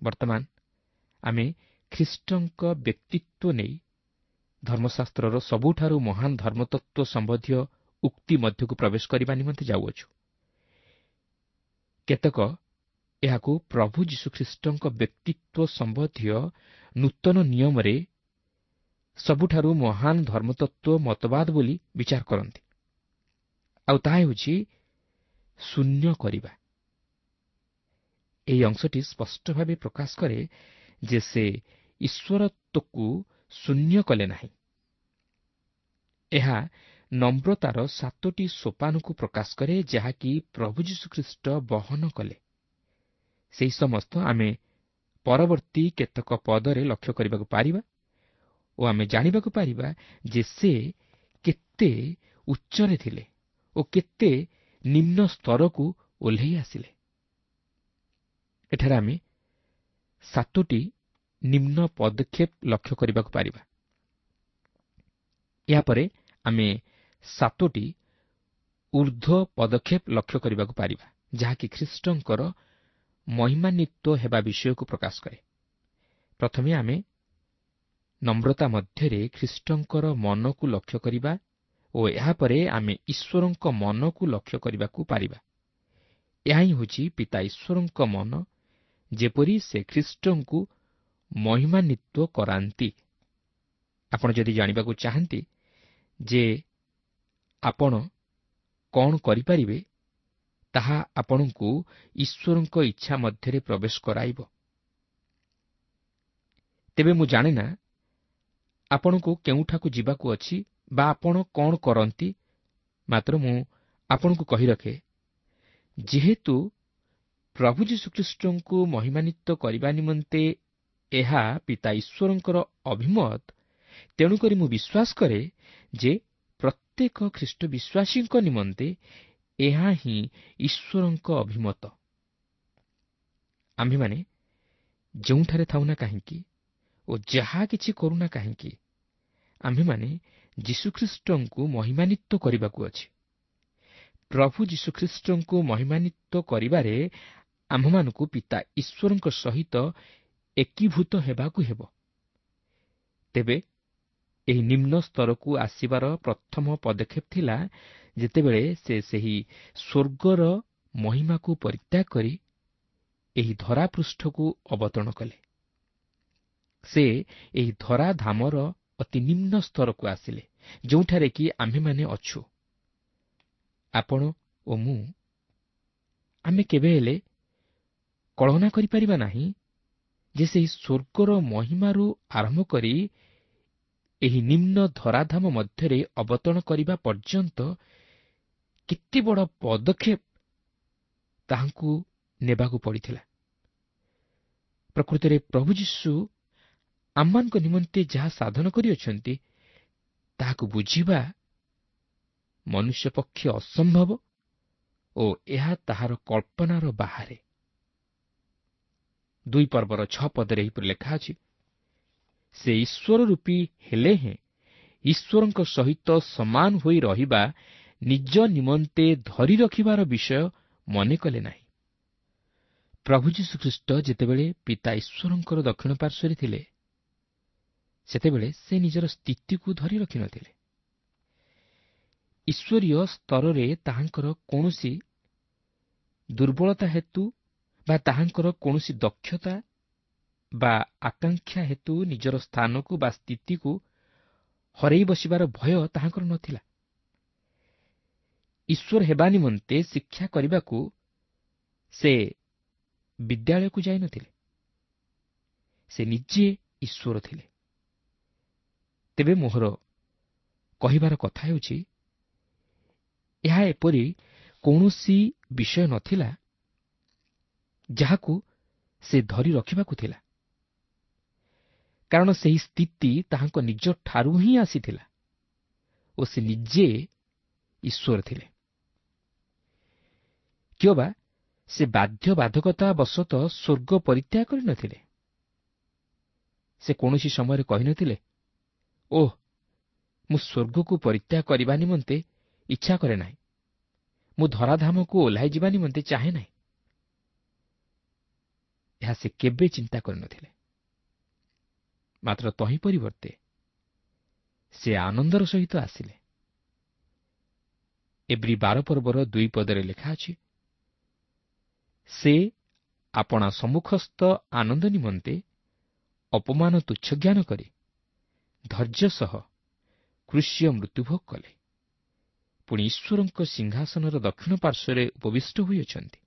ବର୍ତ୍ତମାନ ଆମେ ଖ୍ରୀଷ୍ଟଙ୍କ ବ୍ୟକ୍ତିତ୍ୱ ନେଇ ଧର୍ମଶାସ୍ତ୍ରର ସବୁଠାରୁ ମହାନ ଧର୍ମତତ୍ତ୍ୱ ସମ୍ବନ୍ଧୀୟ ଉକ୍ତି ମଧ୍ୟକୁ ପ୍ରବେଶ କରିବା ନିମନ୍ତେ ଯାଉଅଛୁ। କେତେକ ଏହାକୁ ପ୍ରଭୁ ଯୀଶୁଖ୍ରୀଷ୍ଟଙ୍କ ବ୍ୟକ୍ତିତ୍ୱ ସମ୍ବନ୍ଧୀୟ ନୂତନ ନିୟମରେ ସବୁଠାରୁ ମହାନ ଧର୍ମତତ୍ତ୍ୱ ମତବାଦ ବୋଲି ବିଚାର କରନ୍ତି, ଆଉ ତାହା ହେଉଛି ଶୂନ୍ୟ କରିବା। ଏହି ଅଂଶଟି ସ୍ପଷ୍ଟ ଭାବେ ପ୍ରକାଶ କରେ ଯେ ସେ ଈଶ୍ୱରତ୍ୱକୁ ଶୂନ୍ୟ କଲେ ନାହିଁ। ଏହା ନମ୍ରତାର 7ଟି ସୋପାନକୁ ପ୍ରକାଶ କରେ, ଯାହାକି ପ୍ରଭୁ ଯୀଶୁଖ୍ରୀଷ୍ଟ ବହନ କଲେ। ସେହି ସମସ୍ତ ଆମେ ପରବର୍ତ୍ତୀ କେତେକ ପଦରେ ଲକ୍ଷ୍ୟ କରିବାକୁ ପାରିବା ଓ ଆମେ ଜାଣିବାକୁ ପାରିବା ଯେ ସେ କେତେ ଉଚ୍ଚରେ ଥିଲେ ଓ କେତେ ନିମ୍ନ ସ୍ତରକୁ ଓହ୍ଲେଇ ଆସିଲେ। ଏଠାରେ ଆମେ 7ଟି ନିମ୍ନ ପଦକ୍ଷେପ ଲକ୍ଷ୍ୟ କରିବାକୁ ପାରିବା। ଏହାପରେ ଆମେ 7ଟି ଉର୍ଦ୍ଧ୍ୱ ପଦକ୍ଷେପ ଲକ୍ଷ୍ୟ କରିବାକୁ ପାରିବା, ଯାହାକି ଖ୍ରୀଷ୍ଟଙ୍କର ମହିମାନ୍ୱିତ ହେବା ବିଷୟକୁ ପ୍ରକାଶ କରେ। ପ୍ରଥମେ ଆମେ ନମ୍ରତା ମଧ୍ୟରେ ଖ୍ରୀଷ୍ଟଙ୍କର ମନକୁ ଲକ୍ଷ୍ୟ କରିବା ଓ ଏହାପରେ ଆମେ ଈଶ୍ୱରଙ୍କ ମନକୁ ଲକ୍ଷ୍ୟ କରିବାକୁ ପାରିବା। ଏହା ହିଁ ହେଉଛି ପିତା ଈଶ୍ୱରଙ୍କ ମନ, ଯେପରି ସେ ଖ୍ରୀଷ୍ଟଙ୍କୁ ମହିମାନ୍ୱିତ କରାନ୍ତି। ଆପଣ ଯଦି ଜାଣିବାକୁ ଚାହାନ୍ତି ଯେ ଆପଣ କ'ଣ କରିପାରିବେ, ତାହା ଆପଣଙ୍କୁ ଈଶ୍ୱରଙ୍କ ଇଚ୍ଛା ମଧ୍ୟରେ ପ୍ରବେଶ କରାଇବ। ତେବେ ମୁଁ ଜାଣେ ନା ଆପଣଙ୍କୁ କେଉଁଠାକୁ ଯିବାକୁ ଅଛି ବା ଆପଣ କ'ଣ କରନ୍ତି, ମାତ୍ର ମୁଁ ଆପଣଙ୍କୁ କହି ରଖେ, ଯେହେତୁ ପ୍ରଭୁ ଯୀଶୁଖ୍ରୀଷ୍ଟଙ୍କୁ ମହିମାନ୍ୱିତ କରିବା ନିମନ୍ତେ ଏହା ପିତା ଈଶ୍ୱରଙ୍କର ଅଭିମତ, ତେଣୁକରି ମୁଁ ବିଶ୍ୱାସ କରେ ଯେ ପ୍ରତ୍ୟେକ ଖ୍ରୀଷ୍ଟ ବିଶ୍ୱାସୀଙ୍କ ନିମନ୍ତେ ଏହା ହିଁ ଈଶ୍ୱରଙ୍କ ଅଭିମତ। ଆମ୍ଭେମାନେ ଯେଉଁଠାରେ ଥାଉନା କାହିଁକି ଓ ଯାହା କିଛି କରୁନା କାହିଁକି, ଆମ୍ଭେମାନେ ଯୀଶୁଖ୍ରୀଷ୍ଟଙ୍କୁ ମହିମାନ୍ୱିତ କରିବାକୁ ଅଛି। ପ୍ରଭୁ ଯୀଶୁଖ୍ରୀଷ୍ଟଙ୍କୁ ମହିମାନ୍ୱିତ କରିବାରେ ଆମ୍ଭମାନଙ୍କୁ ପିତା ଈଶ୍ୱରଙ୍କ ସହିତ ଏକୀଭୂତ ହେବାକୁ ହେବ। ତେବେ ଏହି ନିମ୍ନ ସ୍ତରକୁ ଆସିବାର ପ୍ରଥମ ପଦକ୍ଷେପ ଥିଲା ଯେତେବେଳେ ସେ ସେହି ସ୍ୱର୍ଗର ମହିମାକୁ ପରିତ୍ୟାଗ କରି ଏହି ଧରାପୃଷ୍ଠକୁ ଅବତରଣ କଲେ। ସେ ଏହି ଧରାଧାମର ଅତି ନିମ୍ନ ସ୍ତରକୁ ଆସିଲେ, ଯେଉଁଠାରେ କି ଆମ୍ଭେମାନେ ଅଛୁ। ଆପଣ ଓ ମୁଁ ଆମେ କେବେ ହେଲେ କଳନା କରିପାରିବା ନାହିଁ ଯେ ସେହି ସ୍ୱର୍ଗର ମହିମାରୁ ଆରମ୍ଭ କରି ଏହି ନିମ୍ନ ଧରାଧାମ ମଧ୍ୟରେ ଅବତରଣ କରିବା ପର୍ଯ୍ୟନ୍ତ କେତେ ବଡ଼ ପଦକ୍ଷେପ ତାହାଙ୍କୁ ନେବାକୁ ପଡ଼ିଥିଲା। ପ୍ରକୃତରେ ପ୍ରଭୁ ଯୀଶୁ ଆମମାନଙ୍କ ନିମନ୍ତେ ଯାହା ସାଧନ କରିଅଛନ୍ତି, ତାହାକୁ ବୁଝିବା ମନୁଷ୍ୟ ପକ୍ଷେ ଅସମ୍ଭବ ଓ ଏହା ତାହାର କଳ୍ପନାର ବାହାରେ। 2 ପର୍ବର 6 ପଦରେ ଏହିପରି ଲେଖା ଅଛି, ସେ ଈଶ୍ୱର ରୂପୀ ହେଲେ ହେଁ ଈଶ୍ୱରଙ୍କ ସହିତ ସମାନ ହୋଇ ରହିବା ନିଜ ନିମନ୍ତେ ଧରି ରଖିବାର ବିଷୟ ମନେ କଲେ ନାହିଁ। ପ୍ରଭୁ ଯୀଶୁଖ୍ରୀଷ୍ଟ ଯେତେବେଳେ ପିତା ଈଶ୍ୱରଙ୍କର ଦକ୍ଷିଣ ପାର୍ଶ୍ୱରେ ଥିଲେ, ସେତେବେଳେ ସେ ନିଜର ସ୍ଥିତିକୁ ଧରି ରଖିନଥିଲେ। ଈଶ୍ୱରୀୟ ସ୍ତରରେ ତାହାଙ୍କର କୌଣସି ଦୁର୍ବଳତା ହେତୁ ବା ତାହାଙ୍କର କୌଣସି ଦକ୍ଷତା ବା ଆକାଂକ୍ଷା ହେତୁ ନିଜର ସ୍ଥାନକୁ ବା ସ୍ଥିତିକୁ ହରାଇ ବସିବାର ଭୟ ତାହାଙ୍କର ନଥିଲା। ଈଶ୍ୱର ହେବା ନିମନ୍ତେ ଶିକ୍ଷା କରିବାକୁ ସେ ବିଦ୍ୟାଳୟକୁ ଯାଇନଥିଲେ, ସେ ନିଜେ ଈଶ୍ୱର ଥିଲେ। ତେବେ ମୋହର କହିବାର କଥା ହେଉଛି, ଏହା ଏପରି କୌଣସି ବିଷୟ ନଥିଲା ଯାହାକୁ ସେ ଧରି ରଖିବାକୁ ଥିଲା, କାରଣ ସେହି ସ୍ଥିତି ତାହାଙ୍କ ନିଜ ଠାରୁ ହିଁ ଆସିଥିଲା ଓ ସେ ନିଜେ ଈଶ୍ୱର ଥିଲେ। କିଅବା ସେ ବାଧ୍ୟବାଧକତା ବଶତଃ ସ୍ୱର୍ଗ ପରିତ୍ୟାଗ କରିନଥିଲେ। ସେ କୌଣସି ସମୟରେ କହିନଥିଲେ, ଓହ, ମୁଁ ସ୍ୱର୍ଗକୁ ପରିତ୍ୟାଗ କରିବା ନିମନ୍ତେ ଇଚ୍ଛା କରେ ନାହିଁ, ମୁଁ ଧରାଧାମକୁ ଓହ୍ଲାଇ ଯିବା ନିମନ୍ତେ ଚାହେଁ ନାହିଁ। ଏହା ସେ କେବେ ଚିନ୍ତା କରିନଥିଲେ। ମାତ୍ର ତହିଁ ପରିବର୍ତ୍ତେ ସେ ଆନନ୍ଦର ସହିତ ଆସିଲେ। ଏବ୍ରୀ 12 ପର୍ବର 2 ପଦରେ ଲେଖା ଅଛି, ସେ ଆପଣା ସମ୍ମୁଖସ୍ଥ ଆନନ୍ଦ ନିମନ୍ତେ ଅପମାନ ତୁଚ୍ଛ ଜ୍ଞାନ କରି ଧୈର୍ଯ୍ୟ ସହ କ୍ରୁଶୀୟ ମୃତ୍ୟୁଭୋଗ କଲେ, ପୁଣି ଈଶ୍ୱରଙ୍କ ସିଂହାସନର ଦକ୍ଷିଣ ପାର୍ଶ୍ୱରେ ଉପବିଷ୍ଟ ହୋଇଅଛନ୍ତି।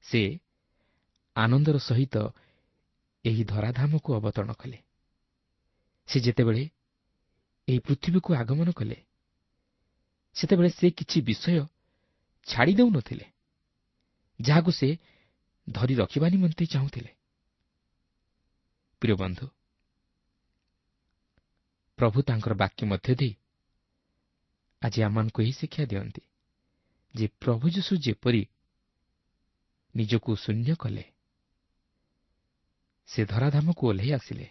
ସେ ଆନନ୍ଦର ସହିତ ଏହି ଧରାଧାମକୁ ଅବତରଣ କଲେ। ସେ ଯେତେବେଳେ ଏହି ପୃଥିବୀକୁ ଆଗମନ କଲେ, ସେତେବେଳେ ସେ କିଛି ବିଷୟ ଛାଡ଼ି ଦେଉନଥିଲେ ଯାହାକୁ ସେ ଧରି ରଖିବା ନିମନ୍ତେ ଚାହୁଁଥିଲେ। ପ୍ରିୟ ବନ୍ଧୁ, ପ୍ରଭୁ ତାଙ୍କର ବାକ୍ୟ ମଧ୍ୟ ଦେଇ ଆଜି ଆମମାନଙ୍କୁ ଏହି ଶିକ୍ଷା ଦିଅନ୍ତି ଯେ ପ୍ରଭୁ ଯୀଶୁ ଯେପରି ନିଜକୁ ଶୂନ୍ୟ କଲେ, ସେ ଧରାଧାମକୁ ଓହ୍ଲାଇ ଆସିଲେ,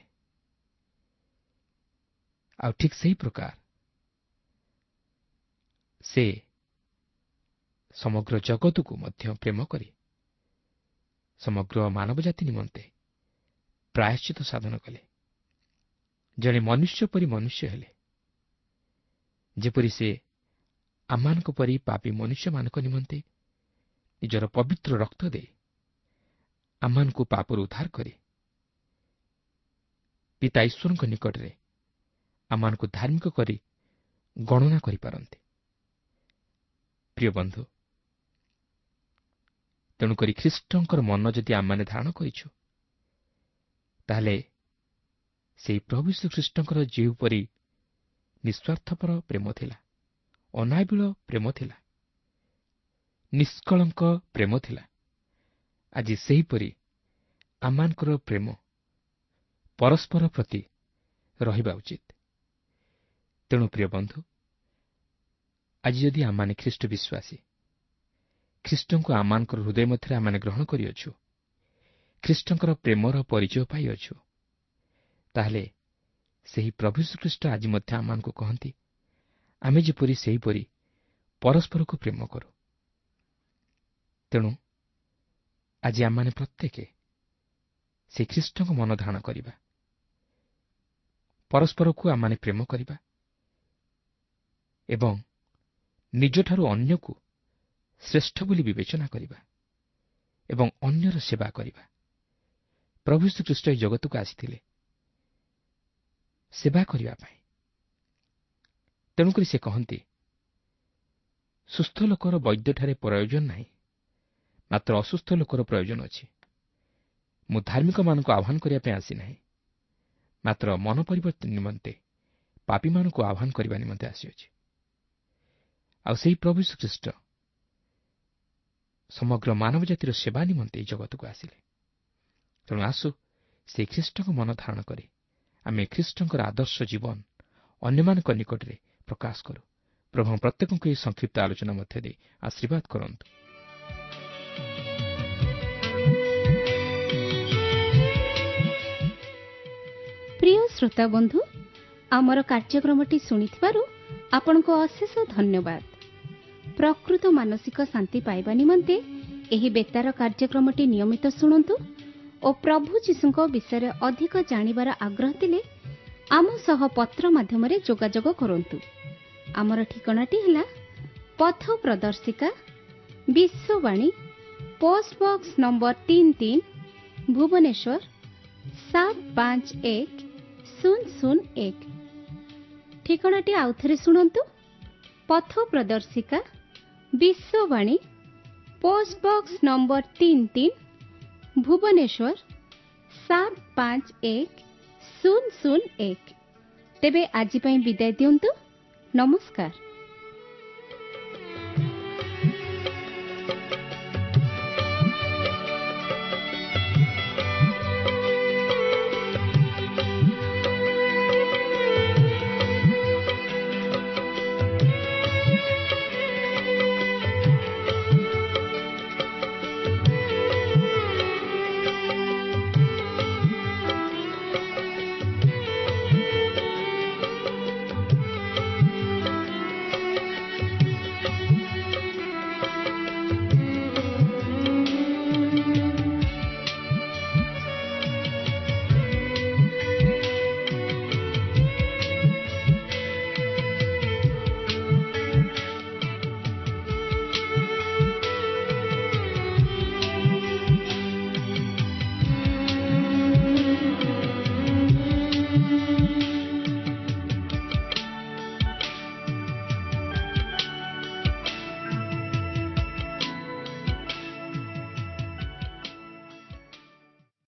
ଆଉ ଠିକ୍ ସେହି ପ୍ରକାର ସେ ସମଗ୍ର ଜଗତକୁ ମଧ୍ୟ ପ୍ରେମ କରି ସମଗ୍ର ମାନବ ଜାତି ନିମନ୍ତେ ପ୍ରାୟଶ୍ଚିତ ସାଧନ କଲେ। ଜଣେ ମନୁଷ୍ୟ ପରି ମନୁଷ୍ୟ ହେଲେ, ଯେପରି ସେ ଆମମାନଙ୍କ ପରି ପାପୀ ମନୁଷ୍ୟମାନଙ୍କ ନିମନ୍ତେ ନିଜର ପବିତ୍ର ରକ୍ତ ଦେଇ ଆମମାନଙ୍କୁ ପାପରୁ ଉଦ୍ଧାର କରି ପିତା ଈଶ୍ୱରଙ୍କ ନିକଟରେ ଆମମାନଙ୍କୁ ଧାର୍ମିକ କରି ଗଣନା କରିପାରନ୍ତି। ପ୍ରିୟ ବନ୍ଧୁ, ତେଣୁକରି ଖ୍ରୀଷ୍ଟଙ୍କର ମନ ଯଦି ଆମମାନେ ଧାରଣ କରିଛୁ, ତାହେଲେ ସେହି ପ୍ରଭୁ ଯୀଶୁଖ୍ରୀଷ୍ଟଙ୍କର ଯେଉଁପରି ନିଃସ୍ୱାର୍ଥପର ପ୍ରେମ ଥିଲା, ଅନାବିଳ ପ୍ରେମ ଥିଲା, ନିଷ୍କଳଙ୍କ ପ୍ରେମ ଥିଲା, ଆଜି ସେହିପରି ଆମମାନଙ୍କର ପ୍ରେମ ପରସ୍ପର ପ୍ରତି ରହିବା ଉଚିତ। ତେଣୁ ପ୍ରିୟ ବନ୍ଧୁ, ଆଜି ଯଦି ଆମମାନେ ଖ୍ରୀଷ୍ଟ ବିଶ୍ୱାସୀ, ଖ୍ରୀଷ୍ଟଙ୍କୁ ଆମମାନଙ୍କର ହୃଦୟ ମଧ୍ୟରେ ଆମମାନେ ଗ୍ରହଣ କରିଅଛୁ, ଖ୍ରୀଷ୍ଟଙ୍କର ପ୍ରେମର ପରିଚୟ ପାଇଅଛୁ, ତାହେଲେ ସେହି ପ୍ରଭୁ ଯୀଶୁଖ୍ରୀଷ୍ଟ ଆଜି ମଧ୍ୟ ଆମମାନଙ୍କୁ କହନ୍ତି ଆମେ ଯେପରି ସେହିପରି ପରସ୍ପରକୁ ପ୍ରେମ କରୁ। ତେଣୁ ଆଜି ଆମମାନେ ପ୍ରତ୍ୟେକ ସେହି ଖ୍ରୀଷ୍ଟଙ୍କ ମନ ଧାରଣ କରିବା, ପରସ୍ପରକୁ ଆମମାନେ ପ୍ରେମ କରିବା ଏବଂ ନିଜଠାରୁ ଅନ୍ୟକୁ ଶ୍ରେଷ୍ଠ ବୋଲି ବିବେଚନା କରିବା ଏବଂ ଅନ୍ୟର ସେବା କରିବା। ପ୍ରଭୁ ଯୀଶୁଖ୍ରୀଷ୍ଟ ଏହି ଜଗତକୁ ଆସିଥିଲେ ସେବା କରିବା ପାଇଁ। ତେଣୁକରି ସେ କହନ୍ତି, ସୁସ୍ଥ ଲୋକର ବୈଦ୍ୟଠାରେ ପ୍ରୟୋଜନ ନାହିଁ, ମାତ୍ର ଅସୁସ୍ଥ ଲୋକର ପ୍ରୟୋଜନ ଅଛି। ମୁଁ ଧାର୍ମିକମାନଙ୍କୁ ଆହ୍ୱାନ କରିବା ପାଇଁ ଆସିନାହିଁ, ମାତ୍ର ମନ ପରିବର୍ତ୍ତନ ନିମନ୍ତେ ପାପୀମାନଙ୍କୁ ଆହ୍ୱାନ କରିବା ନିମନ୍ତେ ଆସିଅଛି। ଆଉ ସେହି ପ୍ରଭୁ ଯୀଶୁଖ୍ରୀଷ୍ଟ ସମଗ୍ର ମାନବ ଜାତିର ସେବା ନିମନ୍ତେ ଏହି ଜଗତକୁ ଆସିଲେ। ତେଣୁ ଆସୁ ସେହି ଖ୍ରୀଷ୍ଟଙ୍କ ମନ ଧାରଣ କରି ଆମେ ଖ୍ରୀଷ୍ଟଙ୍କର ଆଦର୍ଶ ଜୀବନ ଅନ୍ୟମାନଙ୍କ ନିକଟରେ ପ୍ରକାଶ କରୁ। ପ୍ରଭୁ ପ୍ରତ୍ୟେକଙ୍କୁ ଏହି ସଂକ୍ଷିପ୍ତ ଆଲୋଚନା ମଧ୍ୟ ଦେଇ ଆଶୀର୍ବାଦ କରନ୍ତୁ। ପ୍ରିୟ ଶ୍ରୋତା ବନ୍ଧୁ, ଆମର କାର୍ଯ୍ୟକ୍ରମଟି ଶୁଣିଥିବାରୁ ଆପଣଙ୍କୁ ଅଶେଷ ଧନ୍ୟବାଦ। ପ୍ରକୃତ ମାନସିକ ଶାନ୍ତି ପାଇବା ନିମନ୍ତେ ଏହି ବେତାର କାର୍ଯ୍ୟକ୍ରମଟି ନିୟମିତ ଶୁଣନ୍ତୁ ଓ ପ୍ରଭୁ ଯୀଶୁଙ୍କ ବିଷୟରେ ଅଧିକ ଜାଣିବାର ଆଗ୍ରହ ଥିଲେ ଆମ ସହ ପତ୍ର ମାଧ୍ୟମରେ ଯୋଗାଯୋଗ କରନ୍ତୁ। ଆମର ଠିକଣାଟି ହେଲା ପଥ ପ୍ରଦର୍ଶିକା, Vishwavani, post box number 33, Bhubaneswar 751001। ଠିକଣାଟି ଆଉଥରେ ଶୁଣନ୍ତୁ, ପଥ ପ୍ରଦର୍ଶିକା, Vishwavani, post box number 33, Bhubaneswar 751001। ତେବେ ଆଜି ପାଇଁ ବିଦାୟ ଦିଅନ୍ତୁ। ନମସ୍କାର।